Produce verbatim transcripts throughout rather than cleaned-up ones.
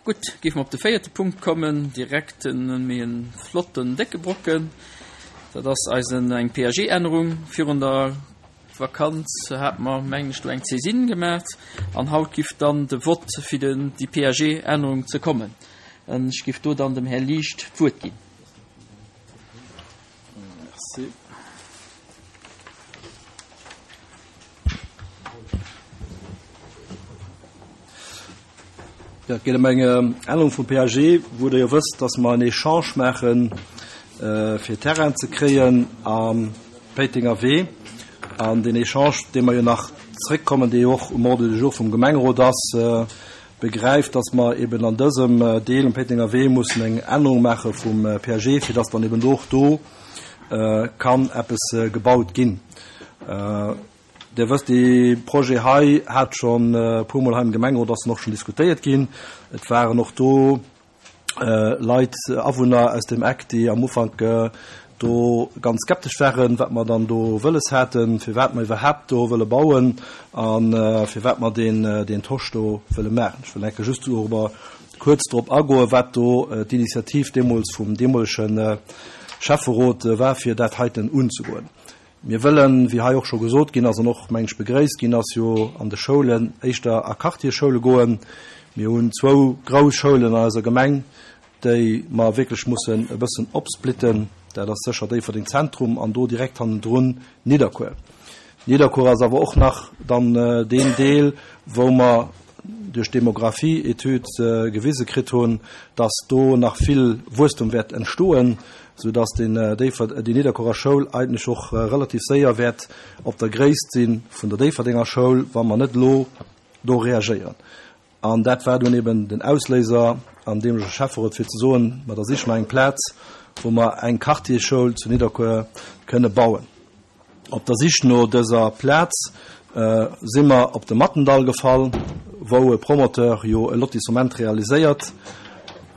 Gutt, géife mer op de véierte Punkt kommen, direkt en méi en flotten, décke Brocken. Dat ass eisen eng P A G-Ännerung. Virun der Vakanz hate mer, mengen ech, do eng Saisine gemaach an haut giff dann de Vott fir den, déi P A G-Ännerung ze kommen. An ech giff do dann dem Här Liecht d'Wuert ginn. Merci. Ja, et geet ëm eng Ännerung vum P A G, wou Der jo wësst, dass mer en Echange maachen, fir Terrain ze kréien am Péitenger Wee. An deen Echange, dee mer jo nach zréckkommen, dee jo och um Ordre du jour vum Gemengerot ass, begräift, dass mer eben an dësem Deel um Péitenger Wee mussen eng Ännerung maache vum P A G, fir dass dann eben och do kann eppes gebaut ginn. Dir wësst, dee Projet hei hat schonn e puermol hei am Gemengerot, ass en och schonn diskutéiert ginn. Et waren och do Leit, Awunner aus dem Eck, déi am Ufank do ganz skeptesch waren, wat mer dann do wëlles haten, firwat mer iwwerhaapt do wëlle bauen a firwat mer deen, deen Tosch do wëlle maachen. Ech wëll enke just dorobber kuerz drop agoen, wat do d'Initiativ deemools vum deemolege Schäfferot war, fir dat heiten unzegoen. Mir wëllen, wéi hei och scho gesot ginn ass an och, meng ech, begréisst ginn ass, jo an de Schoulen éischter a Quartierschoule goen. Mir hunn zwou grouss Schoulen an eiser Gemeng, déi mer wierklech mussen e bëssen opsplitten. Dat ass sécher Déifferdeng Zentrum an do direkt hannendrun Nidderkuer. Nidderkuer ass awer och nach dann deen Deel, wou mer duerch d'Demographie-Etüd gewise kritt hunn, dass do nach vill Wuesstum wäert entstoen, soudass den Déiffer-, déi Nidderkuerer Schoul eigentlech och relativ séier wäert op der Gréisst si vun der Déifferdenger Schoul, wa mer net elo do reagéieren. An dat war dunn eben den Ausléiser an deemolege Schäfferot, fir ze soen, ma da siche mer eng Plaz, wou mer eng Quartierschoul zu Nidderkuer kënne bauen. Op der Sich no dëser Plaz si mer op de Mattendall gefall, wou e Promoteur jo e Lotissement realiséiert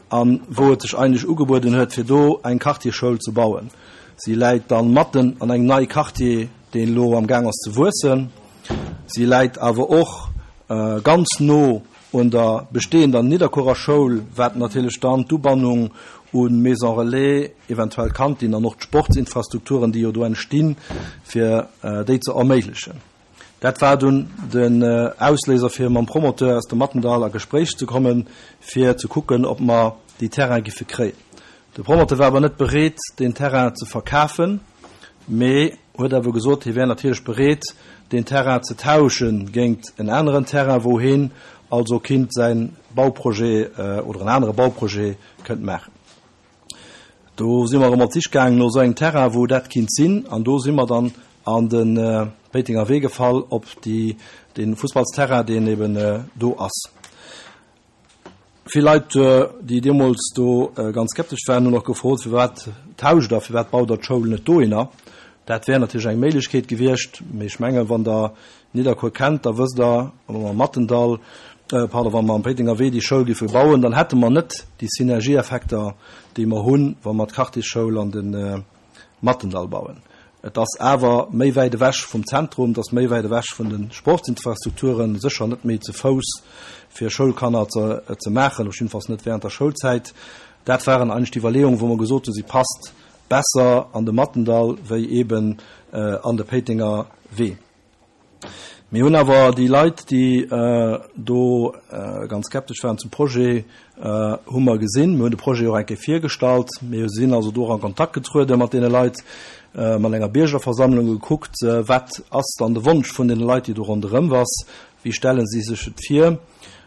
an wou et sech eigentlech ugebueden huet, fir do eng Quartierschoul ze bauen. Si läit dann matten an engem neie Quartier, deen elo am Gaang ass ze wuessen. Si läit awer och ganz no un der bestehender Nidderkuerer Schoul, wat natierlech dann d'Ubannung un Maison Relais, eventuell Kantine an och d'Sportsinfrastrukturen, déi jo do entstinn, fir déi ze erméiglechen. Dat war dunn den Ausléiser, fir mam Promoteur aus dem Mattendall a Gespréich ze kommen, fir ze kucken, ob mer déi Terrain giffe kréien. De Promoteur war awer net bereet, den Terrain ze verkafen, mee huet awer gesot, hie wär natierlech bereet, den Terrain ze tauschen géint en aneren Terrain, wou hien also kinnt säin Bauprojet oder en anere Bauprojet kënnt maachen. Do si mer erëm op d'Sich gaangen no esou engem Terrain, wou dat kinnt sinn, an do si mer dann an de Péitenger Wee gefall, op déi, den Fussballsterrain, deen eben do ass. Vill Leit, déi deemools do ganz skeptesch waren, hunn och gefrot, firwat tauscht der, firwat baut der d'Schoul net dohinner? Dat wär natierlech eng Méiglechkeet gewiescht, mee ech mengen, wann der Nidderkuer kennt, da wësst der, wa mer am Mattendall, pardon, wa mer am Péitenger Wee déi Schoul géife bauen, dann hätte mer net déi Synergieeffekter, déi mer hunn, wa mer d'Quartiersschoul an de Mattendall bauen. Et ass awer méi wäit ewech vum Zentrum, et ass méi wäit ewech vun de Sportsinfrastrukturen, sécher net méi ze Fouss fir Schoulkanner ze, ze maachen, op jiddefalls net während der Schoulzäit. Dat waren eigentlech d'Iwwerleeungen, wou mer gesot hunn, si passt besser an de Mattendall wéi eben an de Péitenger Wee. Mir hunn awer déi Leit, déi do ganz skeptesch waren zum Projet, hu mer gesinn. Mir hunn de Projet och eng Kéier virgestallt. Mir sinn also do och an Kontakt getruede mat deene Leit, mat enger Biergerversammlung gekuckt, wat ass dann de Wonsch vun deene Leit, déi do ronderëm ass, wéi stelle si sech et vir.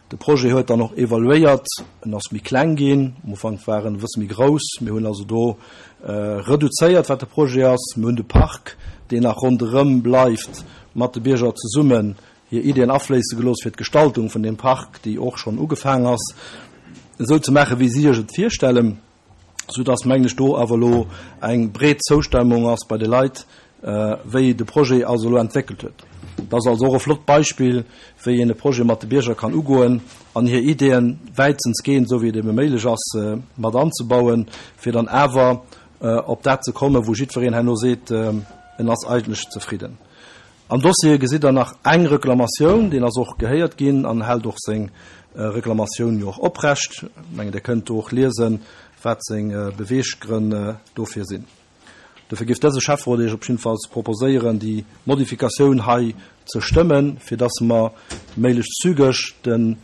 De Projet huet dann och evaluéiert, en ass méi kleng ginn, am Ufank war en e bësse méi grouss. Mir hunn also do reduzéiert, wat de Projet ass. Mir hunn de Park, deen nach ronderëm bleift, mat de Bierger zesummen hir Ideen afléisse gelooss fir d'Gestaltung vun deem Park, déi och schonn ugefaang ass, esou ze maachen, wéi si sech et virstellen, soudass, mengen ech, do awer elo eng breet Zoustemmung ass bei de Leit, wéi de Projet also elo entwéckelt huet. Dat ass also och e flott Beispill, wéi een e Projet mat de Bierger kann ugoen an hir Ideen wäitstens gehen, esou wéi et ebe méiglech ass, mat anzebauen, fir dann awer op dat ze kommen, wou jiddwereen herno seet, en ass eigentlech zefridden. Am Dossier gesitt Der nach eng Reklamatioun, deen ass och gehéiert ginn an hält och seng Reklamatioun jo och oprecht. Ech mengen, Dir kënnt do och liesen, wat seng Beweeggrënn dofir sinn. Dofir géif dëse Schäfferot Iech op jiddefalls proposéieren, déi Modifikatioun hei ze stëmmen, fir dass mer méiglechst zügeg de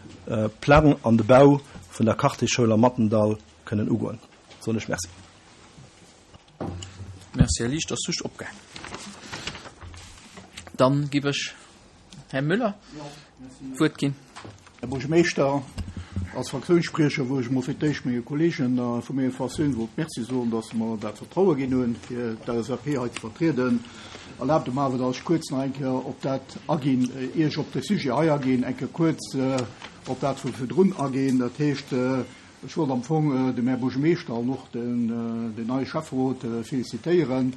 Plang an de Bau vun der Quartiersschoul am Mattendall kënnen ugoen. Soen ech Merci. Merci, Här Liesch, ass just opgaangen. Dann giff ech Här Müller d'Wuert ginn. Här Buergermeeschter, als Fraktiounsspriecher wou ech emol fir d'éischt menge Kolleegen vu menger Fraktioun wollt Merci soen, dass se mer dat Vertraue ginn hunn, fir d'LSAP hei ze vertrieden. Erlaabt mer awer, dass ech kuerz nach eng Kéier op dat aginn, ier ech op de Sujet hei aginn, eng Kéier kuerz op dat vu virdrun aginn. Dat heescht, ech wollt am Fong dem Här Buergermeeschter an och den neie Schäfferot felicitéieren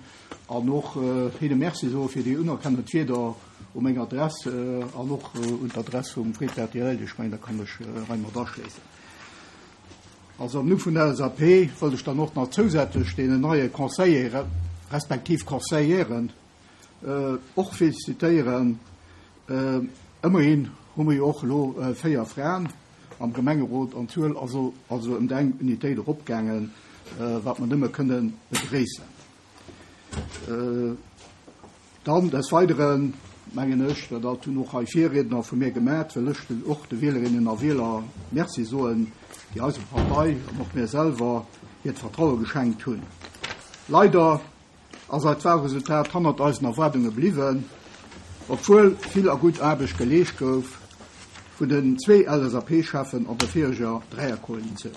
an och hinne Merci soe fir déi unerkennend Wierder, U meng Adress an och un d'Adress vum Fred Bertinelli, ech mengen, da kann ech hei mat aschléissen. Also am Numm vun der LSAP wëllt ech dann och nach zousätzlech deenen neie Conseillere respektiv Conseillèren och felicitéieren. Ëmmerhin hu mer jo och elo véier Fraen am Gemengerot an d'Zuel ass also ëm eng Unitéit eropgaangen, wat mer nëmme kënnen begréissen. Dann des Weideren mengen ech, dat hunn och hei Virriedner vu mir gemat, wëll ech och de Wielerinnen a Wieler Merci soen, déi eiser Partei an och mir selwer hiert Vertraue geschenkt hunn. Leider ass eist Wahlresultat hannert eisen Erwaardunge bliwwen, obwuel vill a gutt Aarbecht geleescht gouf vun den zwee LSAP-Cheffen an der vireger Dräierkoalitioun.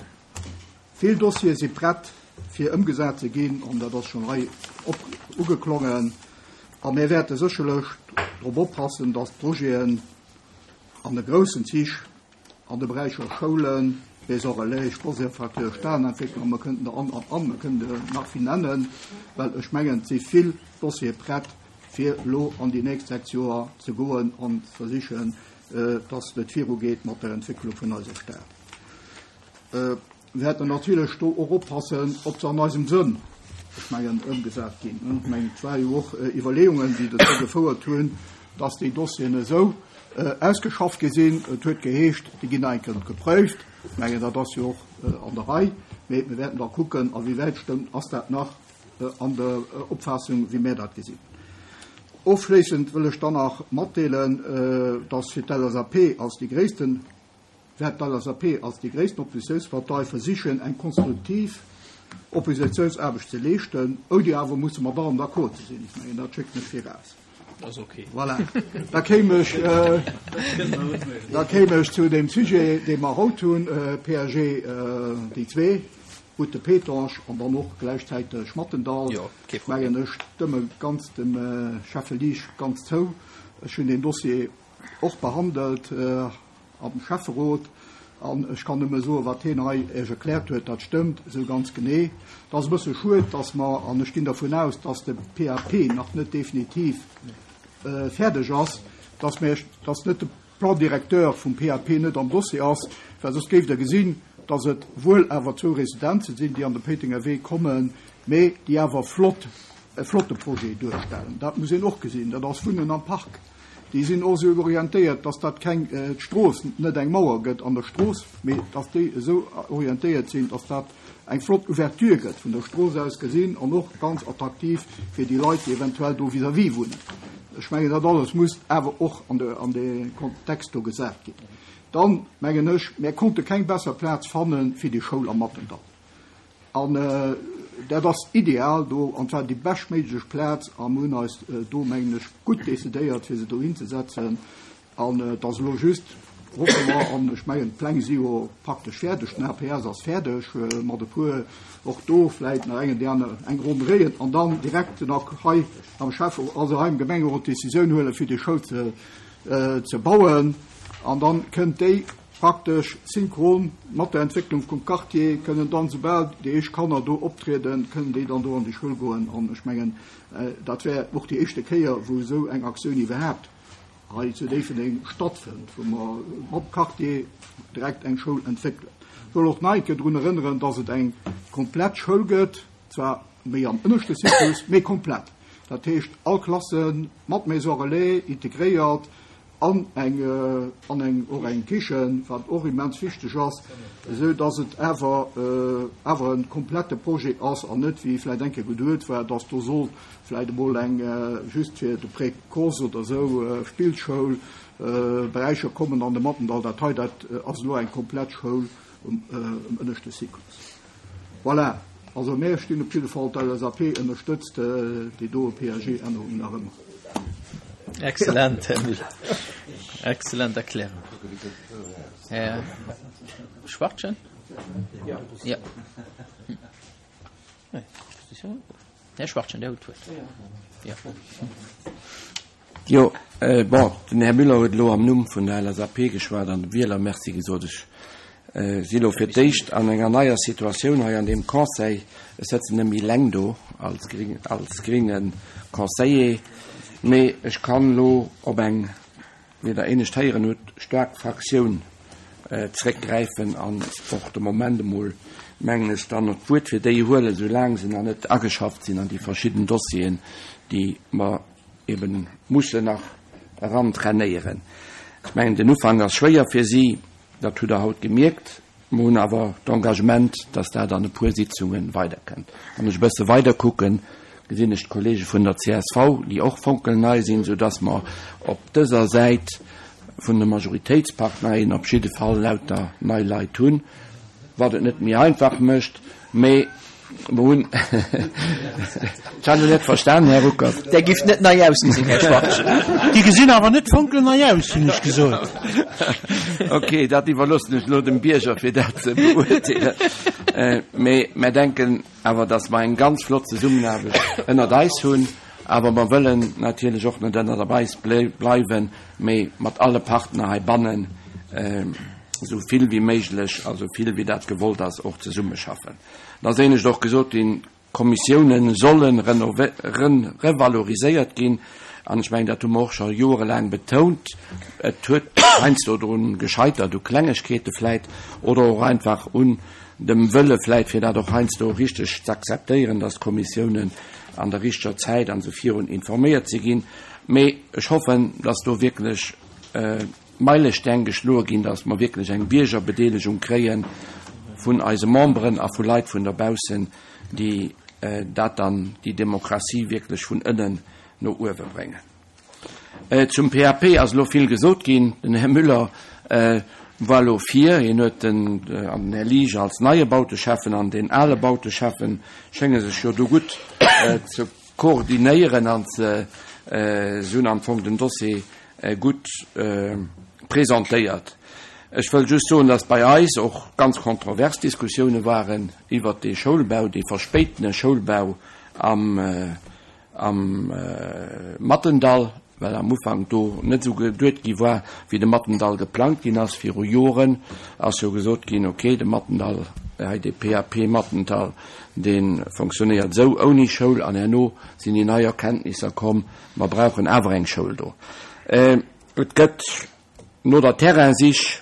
Vill Dossiere si prett fir ëmgesat ze ginn, an dat ass schonn hei ugeklongen, a mir wäerte sécherlech drop oppassen, dass d'Projeten an de groussen Zich an de Beräicher Schoulen, Maisons relais, Sportsinfrastruktur, Stadentwécklung, mer kënnten der an, an, an, mer kënnten der nach vill nennen, well ech mengen, et si vill Dossiere prett, fir elo an déi nächst sechs Joer ze goen an ze versichen, dass et virugeet mat der Entwécklung vun eiser Stad. Mir wäerten natierlech do och oppassen, ob se an eisem Sënn, ech mengen, ëmgesat ginn. Ech mengen, et war jo och Iwwerleeungen, déi dozou gefouert hunn, dass déi Dossieren esou ausgeschafft gi sinn. Et huet geheescht, déi ginn nach eng Kéier gepréift. Ech mengen, dat ass jo och an der Rei. Mee mir wäerten da kucken, a wéi wäit stëmmt, ass dat nach an der Opfaassung, wéi mir dat gesinn. Ofschléissend wëll ech dann nach matdeelen, dass fir d'LSAP als déi gréissten, wäert d'LSAP als déi gréissten Oppositiounspartei versichen, eng konstruktiv Oppositiounsaarbecht ze leeschten, ouni awer musse mat allem d'accord ze sinn. Ech mengen, dat schécken ech viraus. Dat ass ok. Voilà. Da kéim ech, da kéim ech zu deem Sujet, dee mer haut hunn, PAG déi zwee, Route de Pétange an dann och gläichzäiteg Mattendall. Jo, kee Ech mengen, ech stëmme ganz dem Schäffe Liesch ganz zou. Ech hunn deen Dossier och behandelt am Schäfferot an ech kann nëmme soen, wat hien hei Iech erkläert huet, dat stëmmt esou ganz genee. Et ass e bësse schued, dass mer, an ech ginn dervun aus, dass de PAP nach net definitiv fäerdeg ass, dass mir, dass net de Plan directeur vum PAP net am Dossier ass, well soss géift Der gesinn, dass et wuel awer zwou Residenze sinn, déi an de Péitenger Wee kommen, mee déi awer flott, e flotte Projet duerstellen. Dat muss een och gesinn. Dat ass Wunnen am Park. Déi sinn och esou orientéiert, dass dat keng, d'Strooss net eng Mauer gëtt an der Strooss, mee dass déi esou orientéiert sinn, dass dat eng flott Ouverture gëtt vun der Strooss aus gesinn an och ganz attraktiv fir déi Leit, déi eventuell do vis-à-vis wunnen. Ech mengen, dat alles muss awer och an de, an de Kontext do gesat ginn. Dann mengen ech, mir konnte keng besser Plaz fanne fir déi Schoul am Mattendall. An dat ass ideal do, an zwar déi beschtméiglech Plaz, a mir hunn eis do, mengen ech, gutt decidéiert, fir se dohin ze setzen. An et ass elo just, hoffe mer, an ech mengen, d'Pläng si jo praktesch fäerdeg, den APS ass fäerdeg, mat e puer och do vläicht nach engen déi aner eng Ronn dréien an dann direkt nach hei am Schäffe, also hei am Gemengerot d'Decisioun huelen, fir déi Schoul ze, ze bauen. An dann kënnt déi praktesch synchron mat der Entwécklung vum Quartier, kënnen dann, soubal déi éischt Kanner do optrieden, kënnen déi dann do an déi Schoul goen. An ech mengen, dat wär och déi éischte Kéier, wou esou eng Aktioun iwwerhaapt hei zu Déifferdeng stattfënnt, wou mer mam Quartier direkt eng Schoul entwéckelen. Ech wëll och nach eng Kéier drun erënneren, dass et eng komplett Schoul gëtt, zwar méi am ënneschte Zyklus, mee komplett. Dat heescht, all Klasse mat Maison relais integréiert. an eng, an eng, och eng Kichen, wat och immens wichteg ass, esou dass et awer, awer e komplette Projet ass an net, wéi vläicht eng Kéier geduet war, dass do soll vläicht emol eng just fir de Précoce oder esou Spillschoul Beräicher kommen an de Mattendall. Dat hei, dat ass elo eng komplett Schoul um, um ënneschte Cyclus. Voilà. Also mir stinn op jidde Fall, d'LSAP ënnerstëtzt déi doe PAG-Ännerung nach ëmmer. Excellent, Här Müller. Excellent Erklärung. Här Schwartchen? Ja. Ja. Här Schwartchen, Dir hutt d'Wuert. Ja. Jo, bon, den Här Müller huet elo am Numm vun der LSAP geschwat an de Wieler Merci gesot. Ech si elo fir d'éischt an enger neier Situatioun hei an deem Conseil. Ech sëtzen net méi eleng do als als grénge Conseiller, mee ech kann elo op eng, wéi Der éinescht héieren hutt, staark Fraktioun zréckgräifen an och de Moment emol, mengen ech, dann och d'Wuert fir déi huelen, soulaang se nach net ageschafft sinn an déi verschidden Dossieren, déi mer eben mussen nach erantrainéieren. Ech mengen, den Ufank ass schwéier fir si, dat hutt Der haut gemierkt. Mer hunn awer d'Engagement, dass dat an e puer Sitzunge weiderkënnt. Wann ech e bësse weiderkucken, gesinn ech d'Kollege vun der csv, déi och fonkelnei sinn, soudass mer op dëser Säit vun de Majoritéitsparteien op jidde Fall lauter nei Leit hunn, wat et net méi einfach mécht, mee mer hunn, ech hat elo net verstanen, Här Ruckert. Där giff net nei ausgesinn, Här Schwartgen. Déi gesinn awer net fonkelnei aus, hunn ech gesot. Ok, dat iwwerloossen ech elo dem Bierger, fir dat ze beurteelen. Mee mer denken awer, dass mer eng ganz flott Zesummenaarbecht ënnert eis hunn. Awer mer wëllen natierlech och net ënnert eis bleiwen, mee mat alle Partner heibannen esou vill wéi méiglech a sou vill wéi dat gewollt ass och zesummeschaffen. Et ass éinescht och gesot ginn, d'Kommissiounen solle revaloriséiert ginn. An ech mengen, dat hu mer och scho joerelaang betount. Et huet heiansdo drun gescheitert, u Klengegkeete vläit oder och einfach un dem Wëlle vläit, fir dat och heiansdo richteg z'akzeptéieren, dass d'Kommissiounen an der richteger Zäit an esou virun informéiert si ginn. Mee ech hoffen, dass do wierklech Meilesteng geschloe ginn, dass mer wierklech eng Biergerbedeelegung kréie vun eise Memberen a vu Leit vun dobaussen, déi dat dann, déi Demokratie wierklech vun ënnen no uewe bréngen. Zum PAP ass elo vill gesot ginn. Den Här Müller war elo vir, hien huet den, an den Här Liesch als neie Bauteschäffen an deen ale Bauteschäffen schénge sech jo do gutt ze koordinéieren an ze, se hunn am Fong den Dossier gutt presentéiert. Ech wëll just soen, dass bei eis och ganz kontrovers Diskussioune waren iwwert dee Schoulbau, dee verspéitene Schoulbau am, am Mattendall, well am Ufank do net esou geduet gi war, wéi de Mattendall geplangt ginn ass. Viru Joren ass jo gesot ginn, okay, de Mattendall, hei dee PAP Mattendall, dee fonctionnéiert esou ouni Schoul, an herno sinn déi nei Erkenntnisser komm, mer brauchen awer eng Schoul do. Et gëtt no der Terrainsich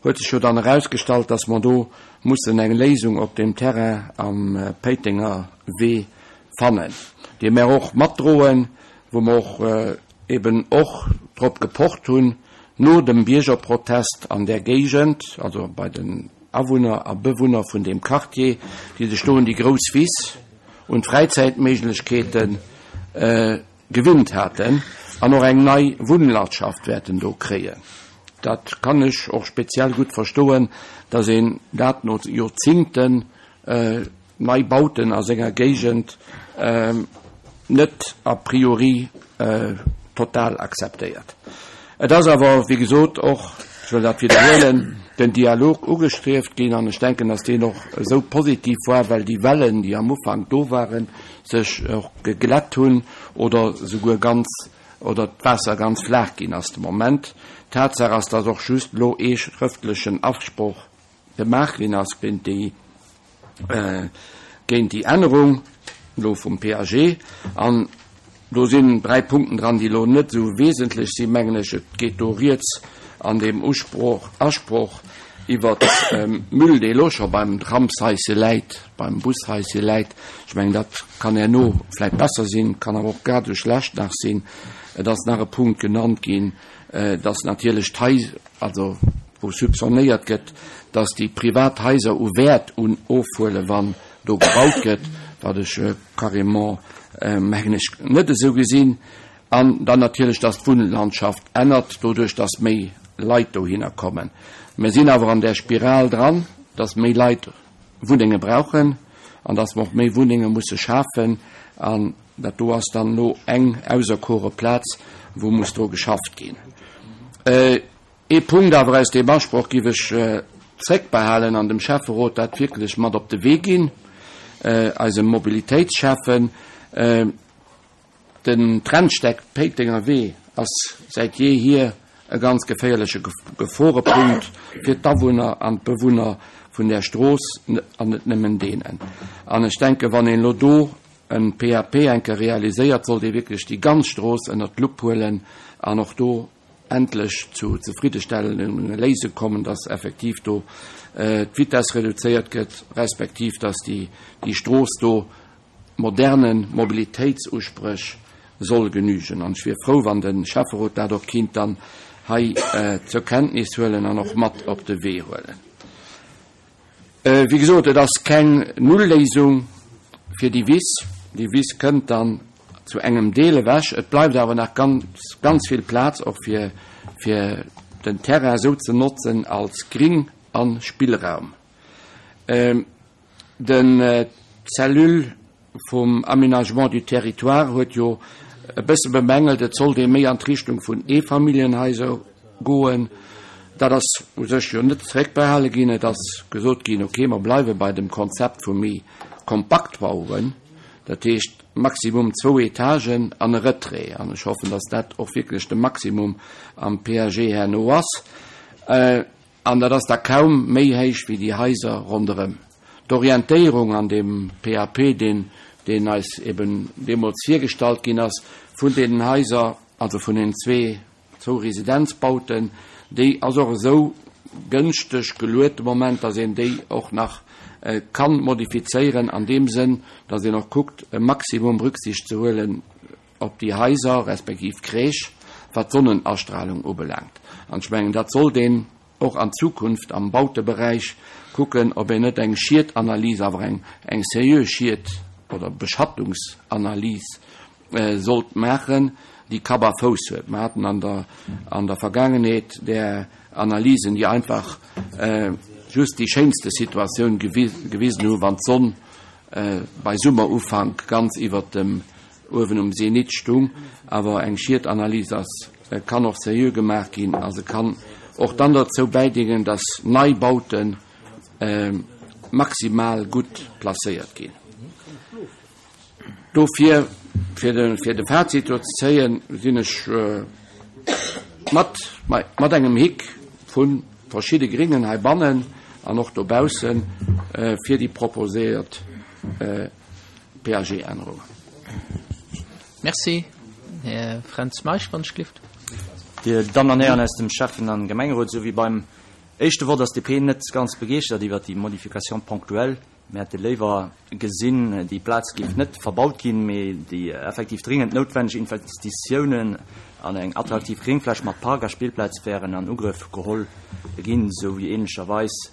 huet sech jo dann erausgestallt, dass mer do mussen eng Léisung op deem Terrain am Péitenger Wee fannen, déi mer och matdroen, wou mer och eben och drop gepocht hunn, no dem Biergerprotest an där Géigend, also bei den Awunner a Bewunner vun deem Quartier, déi sech do un déi grouss Wiss, un d'Fräizäitméiglechkeeten gewinnt haten an och eng nei Wunnlandschaft wäerten do kréien. Dat kann ech och speziell gutt verstoen, dass een dat no Joerzingten Neibauten a senger Géigend net a priori total akzeptéiert. Et ass awer, wéi gesot, och, ech wëll dat widderhuelen, den Dialog ugestrieft ginn an ech denken, dass deen och esou positiv war, well déi Wellen, déi am Ufank do waren, sech och geglätt hunn oder souguer ganz, oder d'Waasser ganz flaach ginn ass de Moment. Tatsaach ass, dass och just elo ee schrëftlechen Afsproch gemaach ginn ass géint déi, géint déi Ännerung elo vum PAG. An do sinn dräi Punkten dran, déi elo net esou wesentlech sinn, mengen ech. Et geet do rieds an deem Usproch, Asproch iwwert Müll, dee elo scho beim Tramshaische läit, beim Bushaische läit. Ech mengen, dat kann herno vläicht besser sinn, kann awer och grad esou schlecht nach sinn. Et ass nach e Punkt genannt ginn, dass natierlech d'Hais, also wou soupçonnéiert gëtt, dass déi privat Haiser u Wäert un ofhuelen, wann do gebaut gëtt, wat ech carrément, mengen ech, net esou gesinn. An dann natierlech, dass d'Wunnlandschaft ännert, doduerch dass méi Leit dohinner kommen. Mir sinn awer an där Spiral dran, dass méi Leit Wunnenge brauchen an dass mer och méi Wunnenge musse schafen. An dat do ass dann elo eng auserkore Plaz, wou muss dru geschafft ginn. Ee Punkt awer aus deem Asproch giff ech zréckbehalen an dem Schäfferot dat wierklech mat op de Wee ginn, eisem Mobilitéitsschäffen. Den Trennsteck Péitenger Wee ass säit jeehier e ganz geféierleche Geforepunkt fir d'Awunner an d'Bewunner vun där Strooss, an net nëmmen deenen. An ech denken, wann een elo do en P A P eng Kéier realiséiert, sollt ee wierklech déi ganz Strooss ënnert d'Lupp huelen an och do endlech zu zefriddestellende Léisung kommen, dass effektiv do d'Vitesse reduzéiert gëtt, respektiv dass déi Strooss do moderne Mobilitéitsuspréch soll genügen. An ech wier frou, wann de Schäfferot dat och kinnt dann hei zur Kenntnis huelen an och mat op de Wee huelen. Wéi gesot, et ass keng Null-Léisung fir déi Wiss. Déi Wiss kënnt dann zu engem Deel ewech. Et bleift awer nach ganz, ganz vill Plaz och fir, fir den Terrain esou ze notzen als Gring a Spillraum. Den d'Cellule vum Aménagement du territoire huet jo e bësse bemängelt, et sollt ee méi an d'Richtung vun Eefamilljenhaiser goen. Dat ass u sech jo net zeréckbehale ginn. Et ass gesot ginn, okay, mer bleiwe bei dem Konzept vu méi Kompaktbauen, dat heescht maximum zwou Etagen an e Retrait. An ech hoffen, dass dat och wierklech de Maximum am P A G herno ass. An dat ass da kaum méi héich wéi déi Haiser ronderëm. D'Orientéierung an dem P A P, deen, deen eis eben deemools virgestallt ginn ass, vun deenen Haiser, also vun den zwee, zwou Residenzbauten, déi ass och esou gënschteg geluet de Moment, dass een déi och nach kann modifizéieren, an deem Sënn, dass een och kuckt, e Maximum Rücksicht ze huelen op déi Haiser, respektiv Crèche, wat d'Sonnenastrahlung ubelaangt. An ech mengen, dat sollt een och an Zukunft am Bauteberäich kucken, ob een net eng Schiedanalyse, awer eng, eng seriös Schied- oder Beschattungsanalyse sollt maachen, déi Kapp a Fouss huet. Mir haten an der, an der Vergangenheet der Analysen, déi einfach just déi schéinste Situatioun gewisen hu, wann d'Sonn bei Summerufank ganz iwwer dem uewen um Zenit stung. Awer eng Schiedanalyse ass, kann och seriö gemaach ginn, a se kann och dann dozou bäidéngen, dass Neibauten maximal gutt placéiert ginn. Dofir, fir de, fir de Fazit do ze zéien, sinn ech mat, mat engem Hick vu verschidde Gringen heibannen an och dobaussen fir déi proposéiert P A G-Ännerungen. Merci. Här Fränz Meisch, wann ech gelift. Dir Damen an Hären aus dem Schäffen- an Gemengerot, sou wéi beim éischte Wort ass D P net ganz begeeschtert iwwer déi Modification ponctuelle. Mir hätte léiwer gesinn, déi Plaz géif net verbaut ginn, mee déi effektiv dringend noutwenneg Investitiounen an eng attraktiv Gringfläch mat Park a Spillplaz wären an Ugrëff geholl ginn, sou wéi ähnlecherweis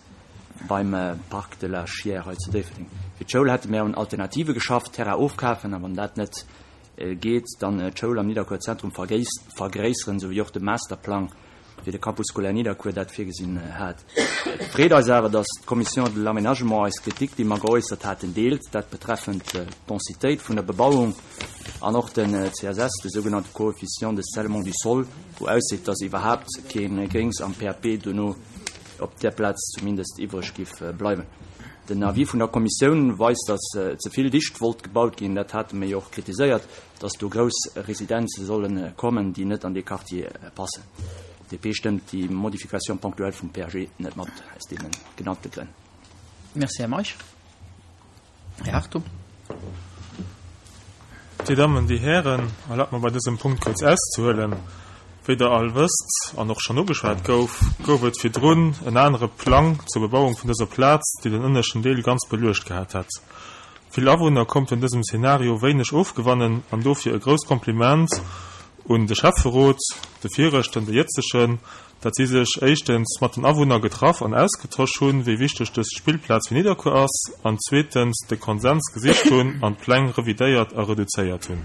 beim Parc de la Chière hei zu Déifferdeng. Fir d'Schoul hätte mir un Alternative geschafft, Terrain ofkafen, a wann dat net geet, dann d'Schoul am Nidderkuer Zentrum vergréisseren, sou wéi och de Masterplang fir de Campus scolaire Nidderkuer dat virgesinn hat. Et freet eis awer, dass d'Commission de l'aménagement eis Kritik, déi mer geäussert haten, deelt, dat betreffend d'Densitéit vun der Bebauung an och den C S S, de sougenannte Coefficient de scellement du sol, wou ausseet, dass iwwerhaupt keen Gréngs am P A P dono op der Plaz zumindest iwwreg giff bleiwen. Den Avis vun der Kommissioun weist, dass ze vill dicht wollt gebaut ginn, dat haten mir jo och kritiséiert, dass do grouss Residenze sollen kommen, déi net an de Quartier passen. D P stëmmt déi Modification ponctuelle vum P A G net mat aus deenen genannte Grënn. Merci, Herr Meisch. Herr Hartung. Dir Damen, die Herren, erlaubt mir bei diesem Punkt kurz auszuholen. Wéi der all wësst an och schon ugeschwat gouf, gouf et virdrun en anere Plang zur Bebauung vun dëser Plaz, déi den ënneschten Deel ganz beluecht gehat hat. Vill Awunner kommt in diesem Szenario wenig ofgewannen an dofir e grousst Kompliment un de Schäfferot, de viregten, de jëtzegen, dat si sech éischtens mat den Awunner getraff an ausgetosch hunn, wéi wichteg dës Spillplaz fir Nidderkuer ass, an zweetens de Konsens gesicht hunn an d'Pläng revidéiert a reduzéiert hunn.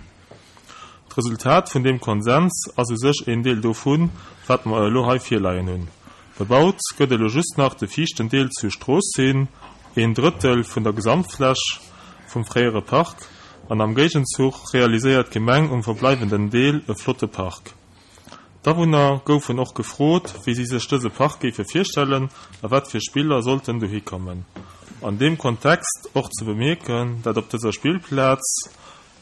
D'Resultat vun deem Konsens ass u sech een Deel dovun, wat mer elo hei virleien hunn. Bebaut gëtt elo just nach de viischten Deel zur Strooss hin, een Drëttel vun der Gesamtfläch vum fréiere Park, an am Géigenzuch realiséiert d'Gemeng um verbleiwenden Deel e flotte Park. D'Awunner goufen och gefrot, wéi si sech dëse Park géife virstellen a wat fir Spiller sollten dohi kommen. An deem Kontext och ze bemierken, dat op dëser Spillplaz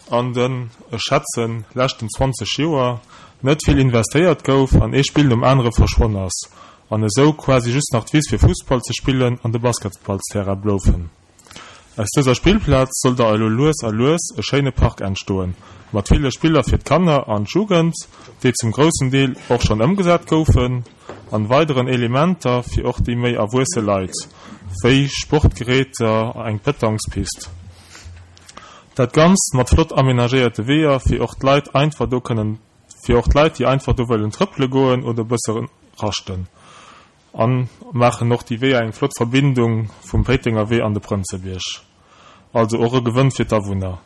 an den, ech schätzen, leschten zwanzeg Joer net vill investéiert gouf an ee Spill nom anere verschwonn ass an esou quasi just nach d'Wiss fir Fussball ze spillen an de Basketballsterrain bloufen. Aus dëser Spillplaz soll da elo lues a lues e schéine Park entstoen, mat ville Spiller fir d'Kanner an d'Jugend, déi zum groussen Deel och schonn ëmgesat goufen, an weideren Elementer fir och déi méi erwuesse Leit, wéi Sportgeräter, eng Petanquespist. Dat Ganzt mat flott amenagéierte Weeër fir och d'Leit einfach do kënnen, fir och d'Leit, déi einfach do wëllen trëppele goen oder e bësse raschten. An maachen och déi Weeër eng flott Verbindung vum Péitenger Wee an de Prënzebierg. Also och e Gewënn fir d'Awunner.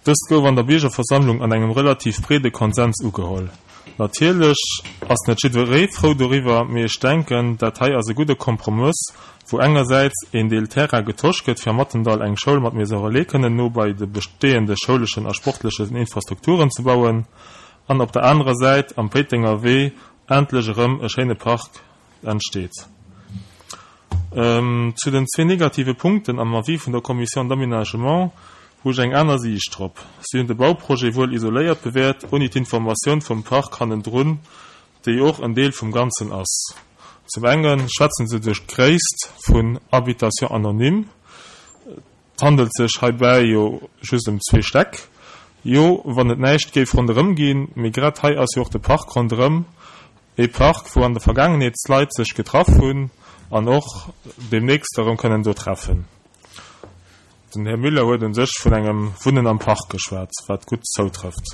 Dëst gouf an der Biergerversammlung an engem relativ breede Konsens ugeholl. Natierlech ass net jiddweree frou doriwwer, mee ech denken, dat hei ass e gudde Kompromëss, wou engersäits een Deel Terrain getosch gëtt, fir am Mathendall eng Schoul mat Maison Relais kënnen no bei de besteeënde schouleschen a sportlechen Infrastrukturen ze bauen, an op der anerer Säit am Péitenger Wee endlech erëm e schéine Park entsteet. Zu den zwee negative Punkten am Avis vun der Commission d'aménagement hu ech eng aner Siicht drop. Si hunn de Bauprojet wuel isoléiert bewäert, ouni d'Informatioun vum Park hannendrun, déi och en Deel vum Ganzen ass. Zum enge schwätze se duerch d'Gréisst vun Habitation anonyme. Et handelt sech heibäi jo just ëm zwee Stäck. Jo, wann et näischt géif ronderëm ginn, mee grad hei ass jo och de Park ronderëm. E Park, wou an der Vergaangenheet d'Leit sech getraff hunn an och deemnächst erëm kënnen do treffen. Den Här Müller huet un sech vun engem Wunnen am Park geschwat, wat gutt zoutrëfft.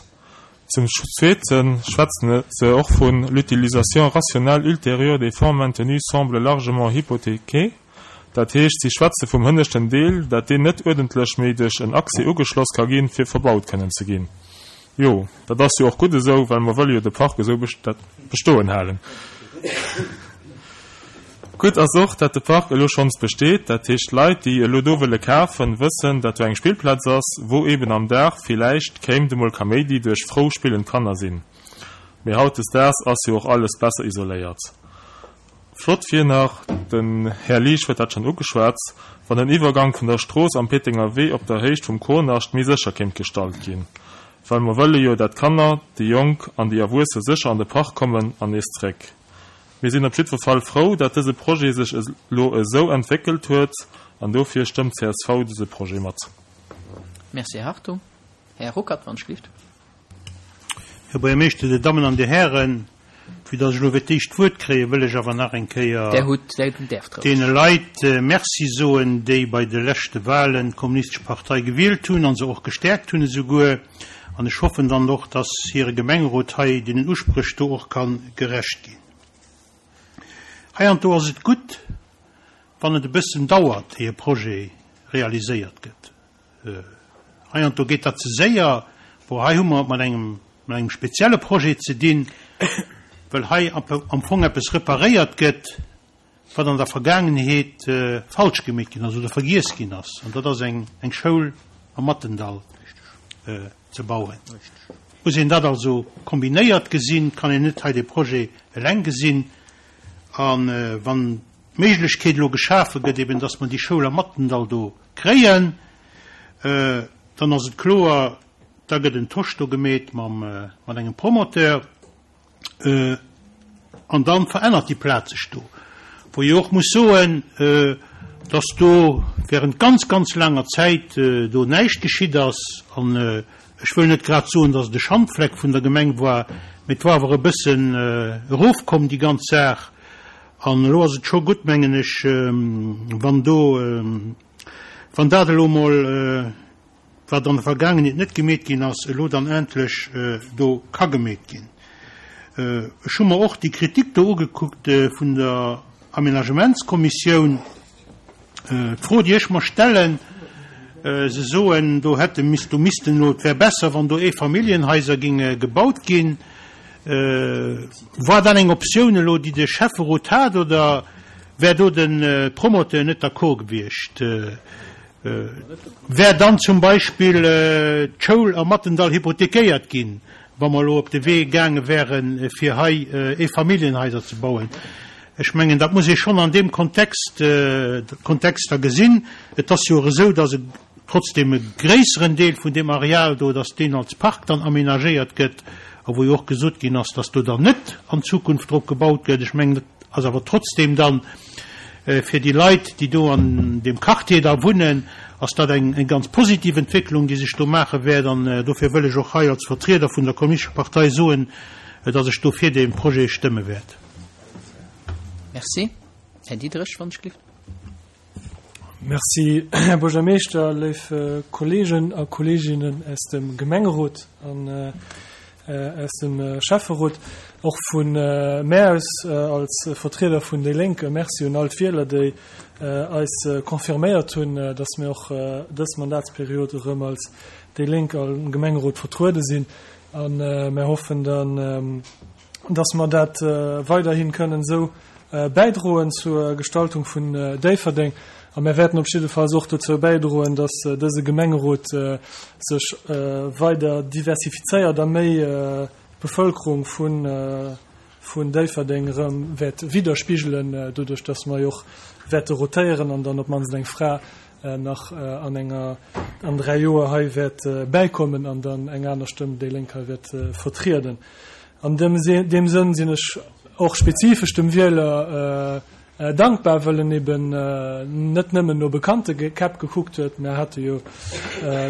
Zum Zweete schwätzen se och vun L'utilisation rationnelle ultérieure des fonds maintenus semble largement hypothéquée. Dat heescht, si schwätze vum hënneschten Deel, dat deen net uerdentlech méi duerch en Accès ugeschloss ka ginn, fir verbaut kënnen ze ginn. Jo, dat ass jo och gutt esou, well mer wëlle jo de Park esou bestoen halen. Gutt ass och, dat de Park elo schonns besteet, dat heescht Leit, déi elo do wëlle kafen, wëssen, dat do eng Spillplaz ass, wou eben am Dag villäicht kéint emol Kaméidi duerch frou spillend Kanner sinn. Mee hautdesdaags ass jo och alles besser isoléiert. Flott wier nach, den Här Liesch huet dat schonn ugeschwat, wann den Iwwergank vun der Strooss am Péitenger Wee op der Héicht vum Kornascht méi sécher kéint gestalt ginn, well mer wëlle jo, dat d'Kanner, déi Jonk an déi Erwuesse sécher an de Park kommen an nees zréck. Mir sinn op jiddwer Fall frou, dat dëse Projet sech elo esou entwéckelt huet an dofir stëmmt d'C S V dëse Projet mat. Merci, Här Hartung. Här Ruckert, wann ech gelift. Här Buergermeeschter, Dir Dammen an Dir Hären, vue dass ech elo fir d'éischt d'Wuert kréien, wëll ech awer nach eng Kéier Der hutt, der däerft roueg. deene Leit Merci soen, déi bei de leschte Wahlen d'Kommunistesch Partei gewielt hunn an se och gestäerkt hunn esouguer. An ech hoffen dann och, dass hire Gemengerot hei deenen Uspréch do och ka gerecht ginn. Heiansdo ass et gutt, wann et e bëssen dauert, éier e Projet realiséiert gëtt. Heiansdo geet dat ze séier, wou hei hu mer et mat engem, mat engem spezielle Projet ze dinn, well hei am Fong eppes reparéiert gëtt, wat an der Vergaangenheet falsch gemeet ginn ass oder vergiess ginn ass. An dat ass eng, eng Schoul am Mathendall ze bauen. Muss een dat also kombinéiert gesinn, kann een net hei de Projet eleng gesinn. An wann d'Méiglechkeet elo geschafe gëtt, eben dass mer déi Schoul am Mathendall do kréien, dann ass et kloer, da gëtt en Tosch do gemeet mam, mat engem Promoteur, an dann verännert déi Plaz sech do. Wou ech och muss soen, dass do während ganz, ganz laanger Zäit do näischt geschitt ass. An ech wëll net grad soen, dass et e Schandfleck vun der Gemeng war, mee et war awer e bëssen erofkomm, déi ganz Saach. An elo ass et scho gutt, mengen ech, wann do, wann dat elo mol wat an der Vergaangenheet net gemeet ginn ass, elo dann endlech do ka gemeet ginn. Ech hu mer och déi Kritik do ugekuckt vun der Aménagementskommissioun. D'Fro, déi ech mer stellen, se soen, do hätte misst, do missten elo, et wär besser, wann do Eefamilljenhaiser géinge gebaut ginn. War dat eng Optioun elo, déi de Schäfferot hat, oder wär do de Promoteur net d'accord gewiescht? Wär dann zum Beispill d'Schoul am Mattendall hypothekéiert ginn, wa mer elo op de Wee gaange wären, fir hei Eefamilljenhaiser ze bauen? Ech mengen, dat muss ee schonn an deem Kontext, Kontext da gesinn. Et ass jo och esou, dass e trotzdem e gréisseren Deel vun deem Areal do, dass deen als Park dann aménagéiert gëtt a wou jo och gesot ginn ass, dass do dann net an Zukunft drop gebaut gëtt. Ech mengen, dat ass awer trotzdem dann fir déi Leit, déi do an deem Quartier da wunnen, ass dat eng ganz positiv Entwécklung, déi sech do maache wäert. An dofir wëll ech och hei als Vertrieder vun der Kommunistescher Partei soen, dass ech do fir dee Projet stëmme wäert. Merci. Här Diderich, wann ech gelift. Merci, Här Buergermeeschter, léif Kollegen a Kolleginnen aus dem Gemengerot an aus dem Schäfferot. Och vu mär aus als Vertrieder vun déi Lénk e Merci un all d'Wieler, déi eis confirméiert hunn, dass mir och dës Mandatsperiod erëm als déi Lénk am Gemengerot vertruede sinn. A mär hoffen dann, dass mer dat weiderhi kënnen esou bäidroen zur Gestaltung vun Déifferdeng. A mär wäerten op jiddefalls och dozou bäidroen, dass dëse Gemengerot sech weider diversifizéiert a méi d'Bevëlkerung vun Déifferdeng erëm wäert widderspigelen, doduerch dass mer jo och wäerte rotéieren an dann op d'mannst eng Fra nach an enger, an dräi Joer hei wäert bäikommen an dann eng aner Stëmm déi Lénk hei wäert vertrieden. An deem Sënn sinn ech och spezifesch dem Wieler dankbar, wëll en eben net nëmmen no bekannte Käpp gekuckt huet. Mär hate jo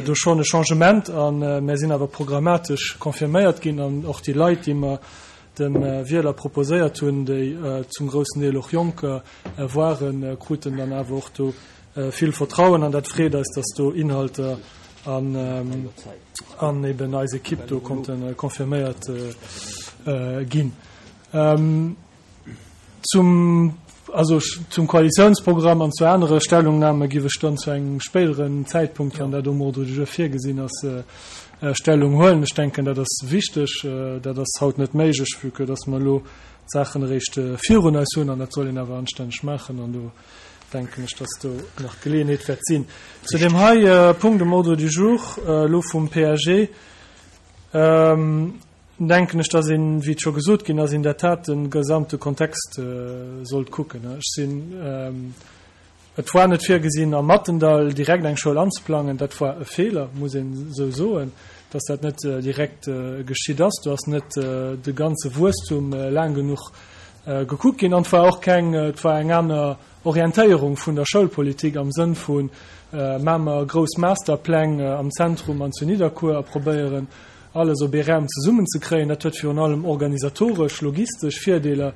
do schonn e Changement a mär sinn awer programmatesch confirméiert ginn an och déi Leit, déi mer dem Wieler proposéiert hunn, déi zum groussen Deel och Jonker waren, kruten dann awer och do vill Vertrauen an dat freet eis, dass do Inhalter an eben eis Equipe do konnte confirméiert ginn. Zum, also zum Koalitiounsprogramm an zu anere Stellungnahme giff ech dann zu engem spéideren Zäitpunkt, wann dat um Ordre du jour virgesinn ass, Stellung huelen. Ech denken, dat ass wichteg. Dat ass haut net méiglech, vue que dass mer elo d'Saachen eréischt virun eis hunn an dat soll een awer anstänneg maachen an do denken ech, dass do nach Geleeënheet wäert sinn. Zu deem hei Punkt um Ordre du jour elo vum P A G denken ech, dass een, wéi et scho gesot ginn ass, in der Tat de gesamte Kontext sollt kucken. Ech sinn, et war net virgesinn, am Mattendall direkt eng Schoul anzeplangen. Dat war e Feeler, muss een esou soen, dass dat net direkt geschitt ass. Do ass net de ganze Wuesstum laang genuch gekuckt ginn. An et war och keng, et war eng aner Orientéierung vun der Schoulpolitik am Sënn vu maache mer grouss Masterpläng am Zentrum an zu Nidderkuer a probéieren, alles op ee Raum zesummenzekréien. Dat huet virun allem organisatoresch, logistesch Virdeeler.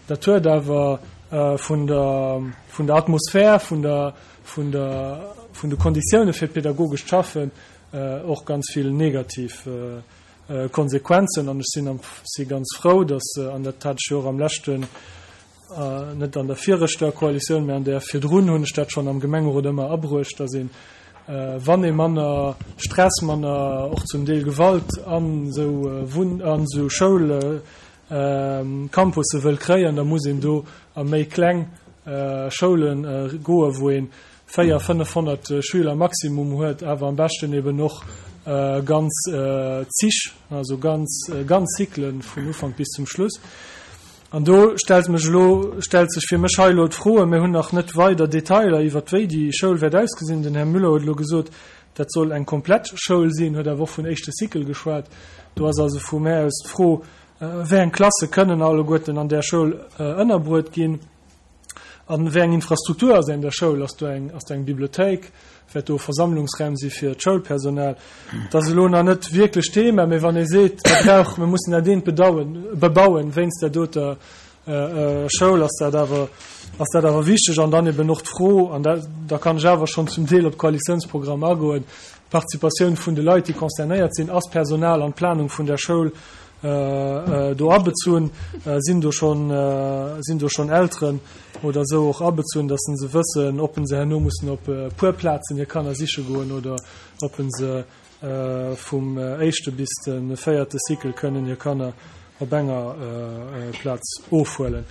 Dat huet awer vun der, vun der Atmosphär, vun der, vun der, vun de Konditioune fir d'pedagogescht Schaffen och ganz vill negativ Konsequenzen. An ech sinn am, si ganz frou, dass, an dat hat ech jo och am leschten, net an der viregter Koalitioun, mä an där virdrun hunn ech dat schonn am Gemengerot ëmmer abruecht, dass een, wann ee manner Stress, manner och zum Deel Gewalt an esou Wunn-, an esou Schoulcampusse wëll kréien, da muss een do a méi kleng Schoule goen, wou ee véier, fënnefhonnert Schüler maximum huet, awer am beschten eben och ganz Zich, also ganz, ganz Cyclen vun Ufank bis zum Schluss. An do stellt mech elo, stellt sech fir mech hei elo d'Fro, mir hunn nach net weider Detailer iwwert wéi déi Schoul wäert ausgesinn. Den Här Müller huet elo gesot, dat soll eng komplett Schoul sinn, huet awer och vun éischte Cycle geschwat. Do ass also vu mär aus d'Fro, wéi eng Klasse kënnen alleguerten an där Schoul ënnerbruet ginn an wéi eng Infrastruktur ass an der Schoul. Ass do eng, ass do eng Bibliothéik? Wäert do Versammlungsraum si fir d'Schoulpersonal? Dat ass elo nach net wierklech Thema, mee wann ee seet, mer brauchen, mer mussen dat eent bedauen, bebauen wéinst där doter Schoul, ass dat awer ass dat awer wichteg an dann eben och d'Fro, an da, da kann ech awer schonn zum Deel op d'Koalitiounsprogramm agoen, d'Participatioun vun de Leit, déi concernéiert sinn, ass d'Personal an d'Planung vun der Schoul do abezunn, sinn do schonn, sinn do schonn Elteren oder esou och abezunn, dass se wëssen, ob se herno mussen op e puer Plazen hir Kanner siche goen oder ob se vum éischte bis de véierte Cycle kënnen hir Kanner op enger Plaz ofhuelen.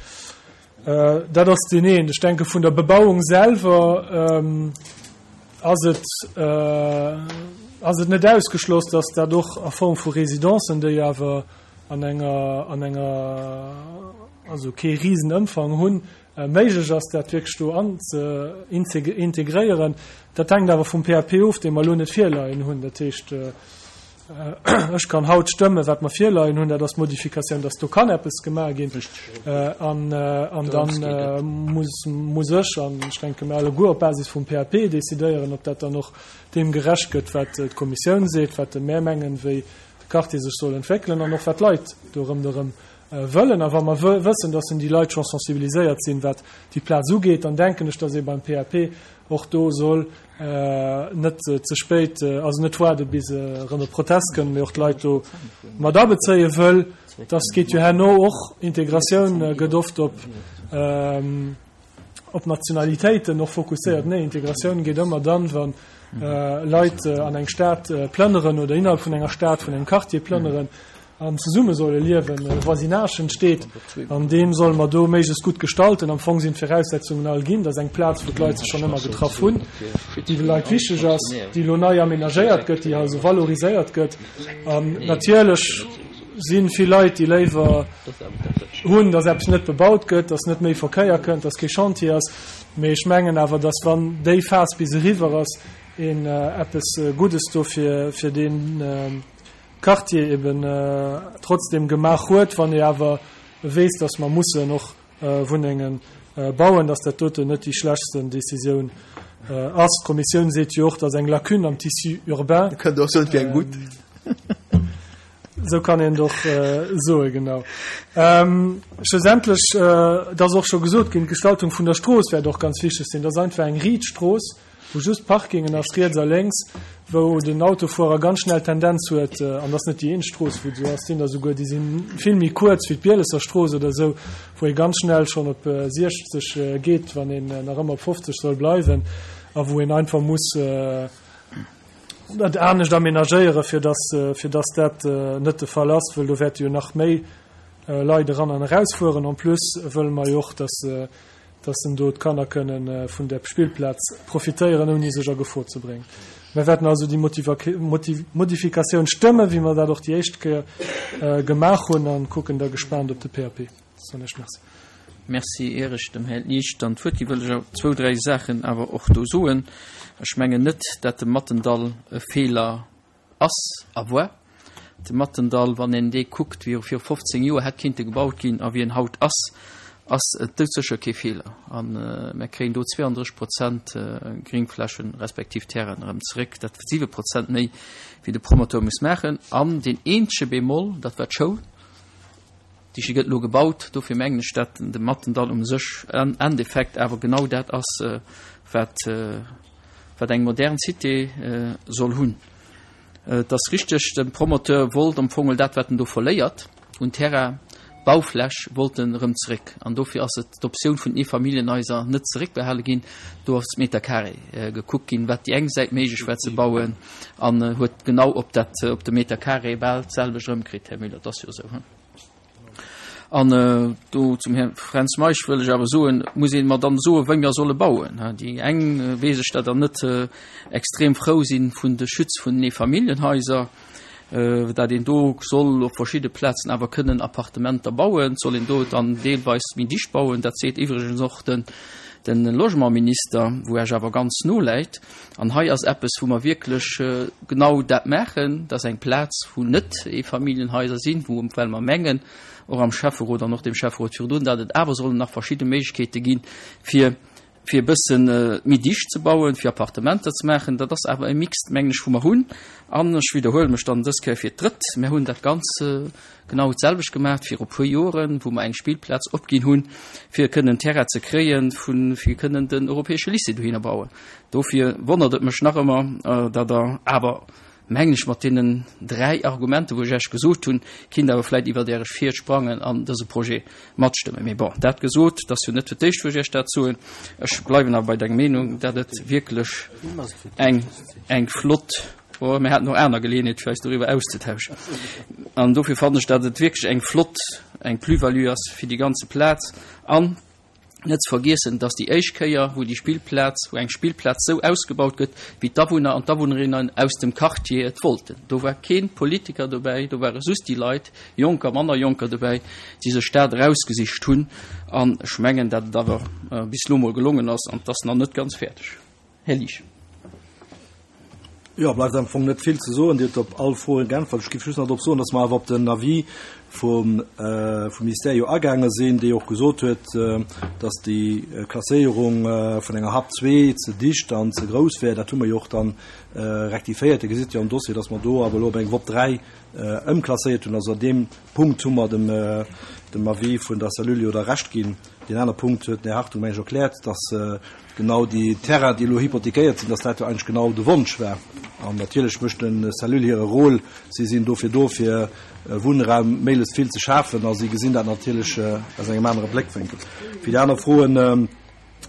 Dat ass deen een. Ech denke vun der Bebauung selwer ass et, ass et net ausgeschloss, dass dat och a Form vu Residencen, déi awer an enger, an enger, also kee Risenëmfang hunn, méiglech ass, dat wierklech do an ze integréieren. Dat hänkt awer vum P A P of, dee mer elo net virleien hunn. Dat heescht, ech kann haut stëmmen, wat mer virleien hunn, dat ass d'Modifikatioun, dass do kann eppes gemaach ginn. An, an dann muss, muss ech, an ech denke mir alleguer op Basis vum P A P decidéieren, ob dat dann och deem gerecht gëtt, wat d'Kommissioun seet, wat de mär mengen, wéi de Quartier sech soll entwéckelen an och wat d'Leit do ronderëm wëllen. A wa mer wëssen, dass déi Leit scho sensibiliséiert sinn, wat déi Plaz ugeet, dann denken ech, dass ee beim P A P och do soll net ze spéit, also net waarde bis erëm e Protest kënnt, mee och d'Leit do mat abezéie wëll. Das geet jo herno och, Integratioun gëtt oft op, op Nationalitéiten och fokusséiert. Nee, Integratioun geet ëmmer dann, wann Leit an eng Stad plënneren oder innerhalb vun enger Stad, vun engem Quartier plënneren an zesumme solle liewen, e Voisinage entsteet, an deem solle mer do méiglechst gutt gestalten. Am Fong sinn d'Viraussetzungen all ginn, dass eng Plaz, wou d'Leit sech schonn ëmmer getraff hunn, déi de Leit wichteg ass, déi elo nei amenagéiert gëtt, déi also valoriséiert gëtt. An natierlech si vill Leit, déi léiwer hunn, dass eppes net bebaut gëtt, dass net méi Verkéier kënnt, dass kee Chantier ass. Mee ech mengen awer, dass wann déi Phas bis eriwwer ass, een eppes Guddes do fir, fir deen Quartier eben trotzdem gemaach huet, wann ee awer weess, dass mer mussen och Wunnengen bauen, dass dat doten net déi schlechtsten Décisioun ass. D'Kommissioun seet jo och, dass eng Lacune am Tissu urbain. Da kënnt och soen, et wier eng gutt. Esou kann een et och soen, genau. Schlussendlech, et ass och scho gesot ginn, d'Gestaltung vun der Strooss wäert och ganz wichteg sinn. Dat ass einfach eng riit Strooss, wou just Parkingen ass, riets a lénks, wou den Autofuerer ganz schnell d'Tendenz huet, an dat ass net déi eenzeg Strooss, wou et esou ass, sinn der souguer, déi si vill méi kuerz wéi d'Bielesser Strooss oder esou, wou ee ganz schnell schonn op siechzeg geet, wann een nach ëmmer op fofzeg soll bleiwen, a wou een einfach muss dat anescht amenagéieren, fir dass, fir dass dat net de Fall ass, wëll do wäerte jo nach méi Leit eran an erausfueren. En plus wëlle mer jo och, dass dass en do d'Kanner kënnen vun der Spillplaz profitéieren, ouni sech a Gefor ze bréngen. Mir wäerten also déi Modifikatioun stëmmen, wéi mer dat och déi éischt Kéier gemaach hunn, a kucken da gespaant op de P A P. Soen ech Merci. Merci, ier ech dem Här Liesch dann d'Wuert ginn, wëll ech zwou, dräi Saachen awer och do soen. Ech mengen net, dat de Mattendall e Feeler ass a war. De Mattendall, wann een dee kuckt, wéi e viru fofzéng Joer hätt kéinte gebaut ginn a wéi en haut ass, ass et doudsécher kee Feeler. A mir kréien do zweeëndrësseg Prozent Gringflächen respektiv Terrainen erëm zeréck. Dat siwe Prozent méi, wéi de Promoteur muss maachen. An deen eenzege Bémol, dat war d'Schoul. Déi gëtt elo gebaut. Dofir mengen ech, dat de Mattendall um sech am Endeffekt awer genau dat ass, wat, wat eng modern Cité soll hunn. Et ass richteg, de Promoteur wollt am Fong dat, wat en do verléiert un Terrain, Baufläch, wollt en erëm zeréck. An dofir ass et d'Optioun vun den Eefamilljenhaiser net zeréckbehale ginn. Do ass Meter carré gekuckt ginn, wat déi eng Säit méiglech war ze bauen, an huet genau op dat, op de Meter carré bal d'selwecht erëmkritt, Här Müller. Dat ass jo esou, he? An do zum Här Fränz Meisch wëll ech awer soen, muss ee mer dann soen, wéi mer solle bauen. Déi eng, weess ech, dat dann net extrem frou sinn vun de Schütz vun den Eefamilljenhaiser, dat een do soll op verschidde Plazen awer kënnen Appartementer bauen, soll een do dann deelweis méi dicht bauen. Dat seet iwwregens och den, den Logementminister, wou Esch awer ganz no läit. An hei ass eppes, wou mer wierklech genau dat maachen, dass eng Plaz, wou net Eefamilljenhaiser sinn, wou, well mer mengen, och am Schäfferot an och dem Schäfferot virdrun, datt et awer sollen nach verschidde Méiglechkeete ginn, fir fir e bëssen méi dicht ze bauen, fir Appartementer ze maachen. Dat ass awer e Mixed, mengen ech, wou mer hunn. An ech widderhuele mech dann dës Kéier fir d'drëtt, Mir hunn dat Ganz genau d'selwecht gemaach viru puer Joren, wou mer eng Spillplaz opginn hunn, fir kënnen Terrain ze kréien, fir kënnen den europäesche Lycée dohinner bauen. Dofir wonnert et mech nach ëmmer, datt Der awer, mengen ech, mat deenen dräi Argumenter, wou ech Iech gesot hunn, kinnt awer vläicht iwwert Äre Schiet sprangen an dëse Projet matstëmmen. Mee bon, dat gesot, et ass jo net fir d'éischt, wou ech Iech dat soen, ech bleiwen awer bei der Meenung, datt et wierklech eng, eng flott, oh, mir haten och aner Geleeënheet, fir eis doriwwer auszetauschen, an dofir fannen ech, datt et wierklech eng flott, eng Plus-value ass fir déi ganze Plaz. An Net ze vergiessen, dass déi éischt Kéier, wou déi Spillplaz, wou eng Spillplaz esou ausgebaut gëtt, wéi d'Awunner an d'Awunnerinnen aus dem Quartier et wollten. Do war kee Politiker dobäi, do ware just déi Leit, Jonker, manner Jonker dobäi, déi sech dat erausgesicht hunn. An ech mengen, dat et awer bis elo mol gelongen ass, an et ass nach net ganz fäerdeg. Här Liesch. Jo, bleift am Fong net vill ze soen. Dir hutt op all Froen geäntwert. Ech géif just nach drop soen, dass mer awer op den Avis vum Ministère jo agaange sinn, dee jo och gesot huet, dass déi Klasséierung vun enger Hap zwee ze dicht an ze grouss wär. Dat hu mer jo och dann rektifiéiert. Dir gesitt jo am Dossier, dass mer do awer elo op eng WOP dräi ëmklasséiert hunn. Also an deem Punkt hu mer dem Avis vun der Cellule jo da Recht ginn. Deen aner Punkt huet den Här Hartung, meng ech, erkläert, dass genau déi Terrainen, déi elo hypothekéiert sinn, dass dat jo eigentlech genau de Wonsch war. An natierlech mécht de Cellule hire Rôle. Si sinn dofir do, fir Wunnraum méiglechst vill ze schafen, a si gesinn dat natierlech aus engem anere Bléckwénkel. Fir déi aner Froen,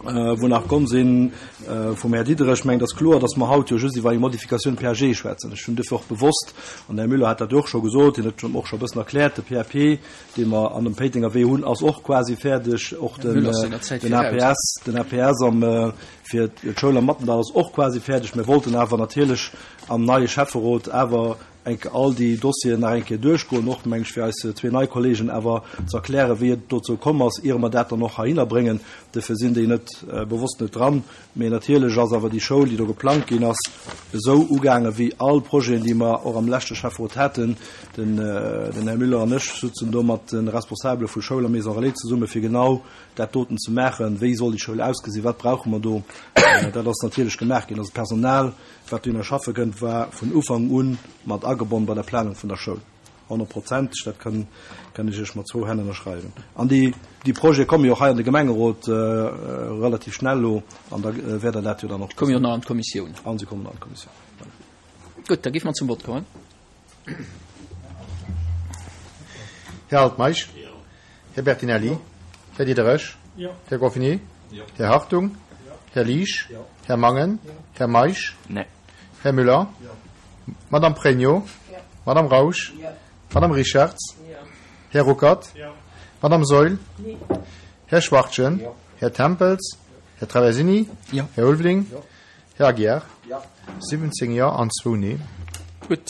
wou nach komm sinn vum Här Diderich, ech mengen, et ass kloer, dass mer haut jo just iwwer eng Modifikatioun P A G schwätzen. Ech hunn duerfir och bewosst, an den Här Müller hat dat jo och scho gesot, hien huet och scho e bëssen erkläert, de P A P, dee mer an dem Péitenger Wee hunn, ass och quasi fäerdeg, och den A P S, den A P S am, fir d'Schoul am Mattendall ass och quasi fäerdeg. Mir wollten awer natierlech am neie Schäfferot awer eng Kéier all déi Dossieren nach eng Kéier duerchgoen, och, meng ech, fir eis zwee nei Kollegen awer ze erklären, wéi et dozou komm ass, iere mer dat dann och heihinner bréngen. Dofir sinn déi net bewosst net dran. Mee natierlech ass awer déi Schoul, déi do geplangt ginn ass, esou ugaangen, wéi all Projeten, déi mer och am leschte Schäfferot haten. Den Här Müller an ech sutzen do mat de Responsabele vu Schoul a Maison Relais zesumme fir genau dat doten ze maachen. Wéi soll déi Schoul ausgesinn? Wat brauche mer do? Dat ass natierlech gemaach ginn. Also d'Personal, wat dohinner schaffe kënnt, war vun Ufank u mat agebonn bei der Planung vun der Schoul. Honnertprozenteg, dat kann, kann ech Iech mat zwou Hänn ënnerschreiwen. An déi, déi Projete komme jo och hei an de Gemengerot relativ schnell elo, an da wäert Der dat jo dann och. Komme jo nach an d'Kommissioun. An se kommen an d'Kommissioun, voilà. Gutt, da géife mer zum Vott kommen. Här Altmeisch? Här Bertinelli? Här Diderich? Här Goffigny? Här Hartung? Här Liesch? Här Mangen? Här Meisch? Här Müller? Madame Pregno? Madame Rausch? Madame Richarz? Här Ruckert? Madame Saeul? Här Schwachtgen? Här Tempels? Här Traversini? Här Ulveling? Här Aguiar? siwwenzéng Jo an zwou Nee. Gutt,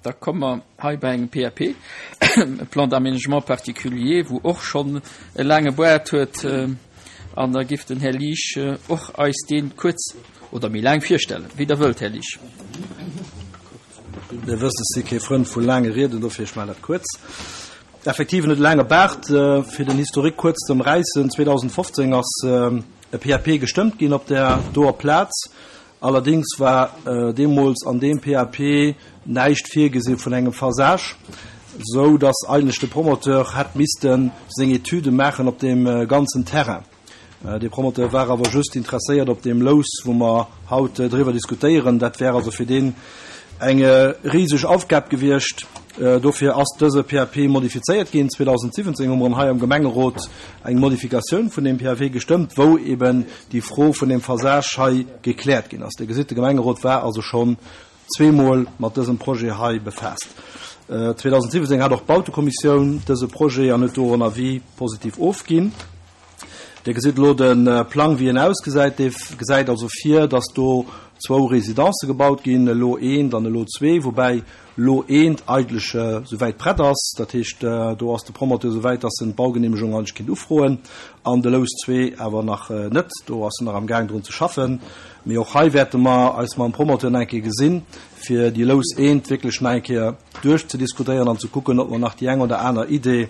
da komme mer hei bei engem P A P, e Plan d'aménagement particulier, wou och schonn e laange Boart huet. An da giff den Här Liesch och eis dee kuerz oder méi laang virstellen, wéi Der wëllt, Här Liesch. Dir wësst, ech si kee Frënd vu laange Rieden, dofir ech maachen dat kuerz. Effektiv, en huet e laange Baart. Fir den Historique kuerz ze ëmräissen, zweedausendfofzéng ass e P A P gestëmmt ginn op där doer Plaz. Allerdéngs war deemools an deem P A P näischt virgesi vun engem Phasage, esou datt eigentlech de Promoteur hätt misste seng Etüde maachen op deem ganzen Terrain. Dee Promoteur war awer just interesséiert op deem Lous, wou mer haut driwwer diskutéieren. Dat wär also fir deen eng riseg Aufgab gewiescht. Dofir ass dëse P A P modifizéiert ginn. zweedausendsiwwenzéng hu mer hei am Gemengerot eng Modifikatioun vun deem P A P gestëmmt, wou eben déi Fro vun deem Phasage hei gekläert ginn ass. Dir gesitt, de Gemengerot war also schonn zweemol mat dësem Projet hei befaasst. zweedausendsiwwenzéng hat och d'Bautekommissioun dëse Projet an huet do en Avis positiv ofginn. Dir gesitt elo de Plang, wéi en ausgesäit. Dee gesäit also vir, dass do zwou Residenze gebaut ginn, elo eent an elo zwee, woubäi elo eent eigentlech souwäit prett ass. Dat heescht, do ass de Promoteur souwäit, dass en d'Baugenehmegung eigentlech kinnt ufroen, an de Lous zwee awer nach net. Do ass en nach am Gaang drun ze schaffen. Mee och hei wäerte mer eis mam Promoteur nach eng Kéier gesinn, fir déi Lous eent wierklech nach eng Kéier duerchzediskutéieren an ze kucken, ob mer nach déi eng oder aner Idee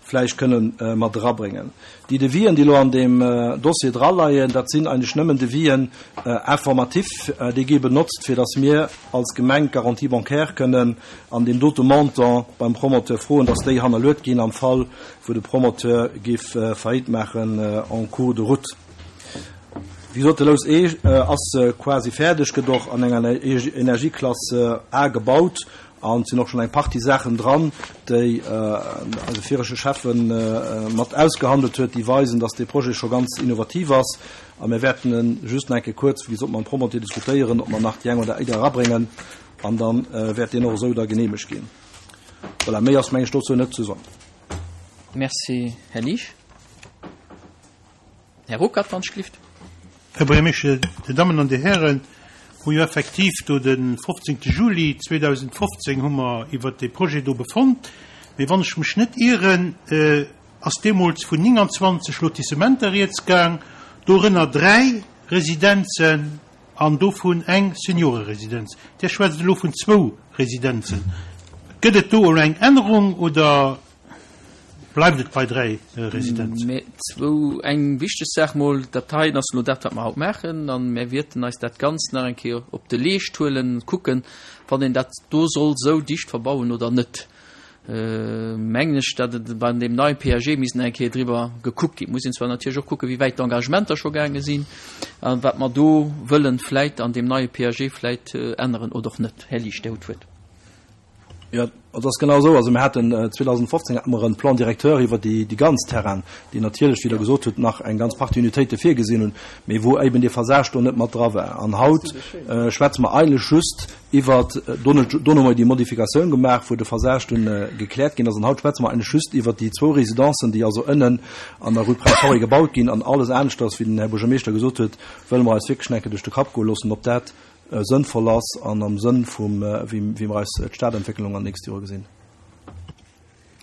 vläicht kënnen mat erabréngen. Déi Devisen, déi elo an deem Dossier draleien, dat sinn eigentlech nëmmen Devisen informatif, déi gi benotzt, fir datt mir als Gemeng d'Garantie bancaire kënnen an deem dote Montant beim Promoteur froen, datt déi hannerluet ginn am Fall, wou de Promoteur géif Faillite maachen en cours de route. Wéi gesot, de Lous E ass quasi fäerdeg, gëtt och an enger Energieklass A gebaut an et sinn och schonn eng Partie Saachen dran, déi eise viregte Schäffe mat ausgehandelt huet, déi weisen, dass dee Projet scho ganz innovativ ass. A mir wäerten e just nach eng Kéier kuerz, wéi gesot, mam Promoteur diskutéieren, ob mer nach déi eng oder aner erabréngen an da wäert deen och esou da geneemegt ginn. Voilà, méi ass, meng ech, dozou net ze soen. Merci, Här Liesch. Här Ruckert, wann ech gelift. Här Buergermeeschter, Dir Dammen an Dir Hären, hu jo effektiv do de fofzéngte Juli zweedausendfofzéng hu mer iwwert dee Projet do befonnt. Mee wann ech mech net ieren, ass deemools vun nénganzwanzeg Lotissementer rieds gaang, dorënner dräi Residenzen an dovun eng Senioreresidenz. Dir schwätzt elo vun zwou Residenzen. Gëtt et do elo eng Ännerung oder bleift et bei dräi Residenzen? Mä zwou, eng wichteg Saach mol, dat heien ass elo dat, wat mer haut maachen, a mir wäerten eis dat Ganzt nach eng Kéier op de Leescht huelen, kucken, wann een dat do soll esou dicht verbauen oder net. Mengen ech, datt et bei deem neie P A G misst nach eng Kéier driwwer gekuckt ginn. Et muss een zwar natierlech och kucken, wéi wäit d'Engagementer scho gaange sinn a wat mer do wëllen vläit an deem neie P A G vläit änneren oder och net. Här Liesch, Dir hutt d'Wuert. Jo, et ass genau esou. Also mir haten zweedausendfofzéng hate mer e Plan directeur iwwer déi, déi ganz Terrainen, déi natierlech, wéi Der gesot hutt, nach eng ganz Partie Unitéite virgesinn hunn, mee wou eben dee Phasage do net mat dra war. An haut schwätze mer eigentlech just iwwer, do do hu mer déi Modifikatioun gemaach, wou de Phasage dunn gekläert ginn ass, an haut schwätze mer eigentlech just iwwer déi zwou Residencen, déi also ënnen an der Rue Prince Henri gebaut ginn. An alles aneschters, wéi den Här Buergermeeschter gesot huet, wëlle mer eis wierklech nach eng Kéier duerch de Kapp goe loossen, ob dat sënnvoll ass an am Sënn vum, wéi, wéi mer eis d'Stadentwécklung an den nächste Jore gesinn.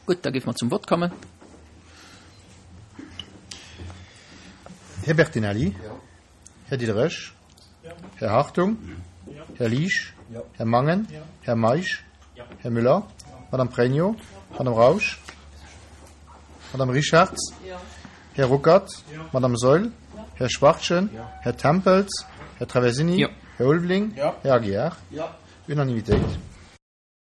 Gutt, da géife mer zum Vott kommen. Här Bertinelli? Här Diderich? Här Hartung? Här Liesch? Här Mangen? Här Meisch? Här Müller? Madame Pregno? Madame Rausch? Madame Richartz? Här Ruckert? Madame Saeul? Här Schwachtgen? Här Tempels? Här Traversini? Här Ulveling? Här Aguiar? Unanimitéit.